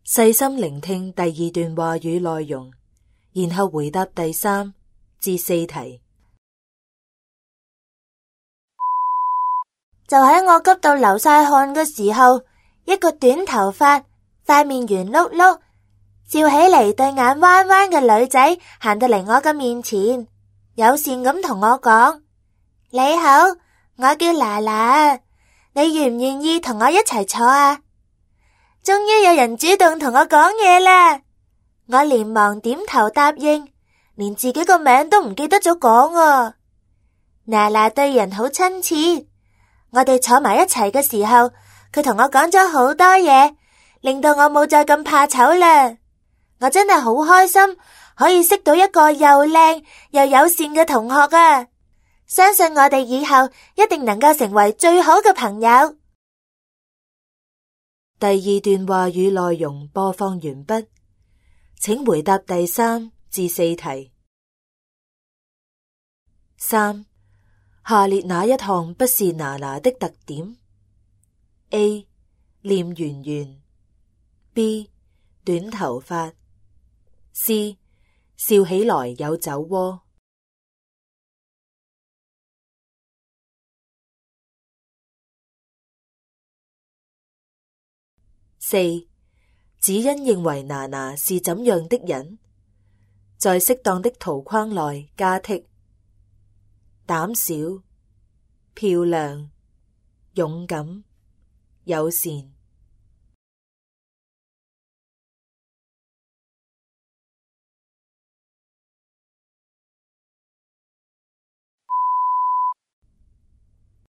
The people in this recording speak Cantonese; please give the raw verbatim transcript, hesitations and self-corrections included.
細心聆聽第二段話語內容，然後回答第三至四題。就喺我急到流晒汗嘅時候，一個短頭髮、塊面圓碌碌、笑起嚟對眼彎彎嘅女仔行到嚟我嘅面前，友善咁同我講：你好，我叫娜娜，你願唔願意同我一齊坐啊？終於有人主動同我講嘢啦，我連忙點頭答應，連自己個名都唔記得咗講啊。娜娜對人好親切，我哋坐埋一齊嘅時候，佢同我講咗好多嘢，令到我冇再咁怕醜啦。我真係好開心，可以識到一個又靚又友善嘅同學啊！相信我哋以後一定能夠成為最好嘅朋友。第二段話語內容播放完畢，請回答第三至四題。三，下列哪一項不是娜娜的特點 ？A. 臉圓圓 B. 短頭髮 C. 笑起來有酒窩。四，子欣認為娜娜是怎樣的人？在適當的圖框內加剔：膽小、漂亮、勇敢、友善。